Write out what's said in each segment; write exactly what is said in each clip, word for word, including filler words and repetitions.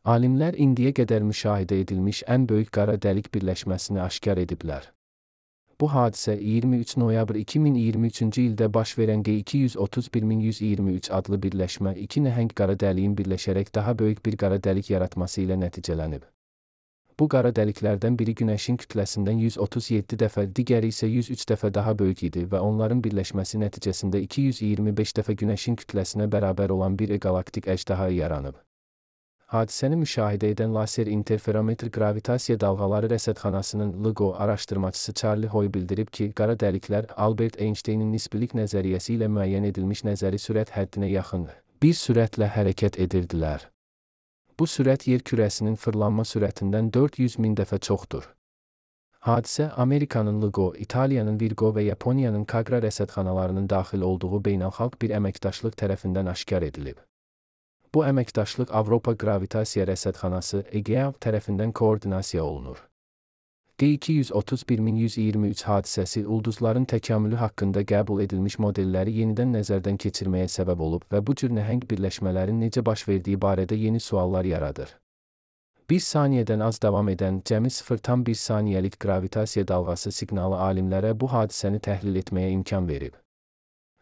Alimlər indiyə qədər müşahidə edilmiş ən böyük qara dəlik birləşməsini aşkar ediblər. Bu hadisə iyirmi üç noyabr iki min iyirmi üçüncü ildə baş verən G iki yüz otuz bir min yüz iyirmi üç adlı birləşmə iki nəhəng qara dəliyin birləşərək daha böyük bir qara dəlik yaratması ilə nəticələnib. Bu qara dəliklərdən biri Günəşin kütləsindən yüz otuz yeddi dəfə, digəri isə yüz üç dəfə daha böyük idi və onların birləşməsi nəticəsində iki yüz iyirmi beş dəfə Günəşin kütləsinə bərabər olan bir galaktik əjdaha yaranıb. Hadisəni müşahidə edən laser interferometr qravitasiya dalğaları rəsədxanasının L I G O araşdırmacısı Charlie Hoy bildirib ki, qara dəliklər Albert Einstein'in nisbilik nəzəriyyəsi ilə müəyyən edilmiş nəzəri sürət həddinə yaxın bir sürətlə hərəkət edirdilər. Bu sürət yer kürəsinin fırlanma sürətindən dörd yüz min dəfə çoxdur. Hadisə Amerikanın L I G O, İtaliyanın Virgo və Yaponiyanın Kagra rəsədxanalarının daxil olduğu beynəlxalq bir əməkdaşlıq tərəfindən aşkar edilib. Bu əməkdaşlıq Avropa Qravitasiya Rəsədxanası E G A tərəfindən koordinasiya olunur. G iki yüz otuz bir min yüz iyirmi üç hadisəsi ulduzların təkamülü haqqında qəbul edilmiş modelləri yenidən nəzərdən keçirməyə səbəb olub və bu cür nəhəng birləşmələrin necə baş verdiyi barədə yeni suallar yaradır. Bir saniyədən az davam edən cəmi sıfır tam bir saniyəlik qravitasiya dalğası siqnalı alimlərə bu hadisəni təhlil etməyə imkan verib.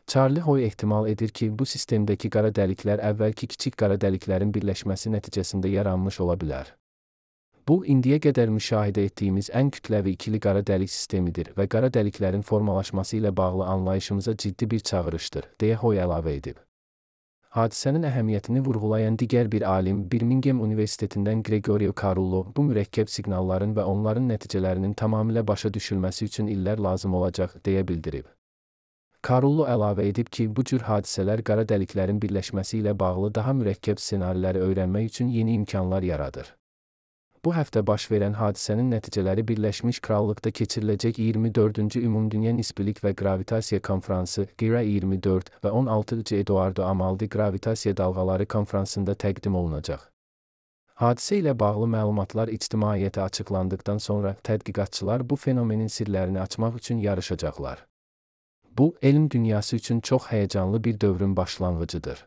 Charlie Hoy ehtimal edir ki, bu sistemdəki qara dəliklər əvvəlki kiçik qara dəliklərin birləşməsi nəticəsində yaranmış ola bilər. Bu, indiyə qədər müşahidə etdiyimiz ən kütləvi ikili qara dəlik sistemidir və qara dəliklərin formalaşması ilə bağlı anlayışımıza ciddi bir çağırışdır, deyə Hoy əlavə edib. Hadisənin əhəmiyyətini vurğulayan digər bir alim, Birmingham Universitetindən Gregorio Carullo, bu mürəkkəb siqnalların və onların nəticələrinin tamamilə başa düşülməsi üçün illər lazım olacaq, deyə bildirib. Carullo əlavə edib ki, bu cür hadisələr qara dəliklərin birləşməsi ilə bağlı daha mürəkkəb ssenariləri öyrənmək üçün yeni imkanlar yaradır. Bu həftə baş verən hadisənin nəticələri Birləşmiş Krallıqda keçiriləcək iyirmi dördüncü Ümumdünya Nisbilik və Qravitasiya Konfransı G R A iyirmi dörd və on altıncı Eduardo Amaldi Qravitasiya Dalğaları Konfransında təqdim olunacaq. Hadisə ilə bağlı məlumatlar ictimaiyyətə açıqlandıqdan sonra tədqiqatçılar bu fenomenin sirlərini açmaq üçün yarışacaqlar. Bu, elm dünyası üçün çox həyəcanlı bir dövrün başlanğıcıdır.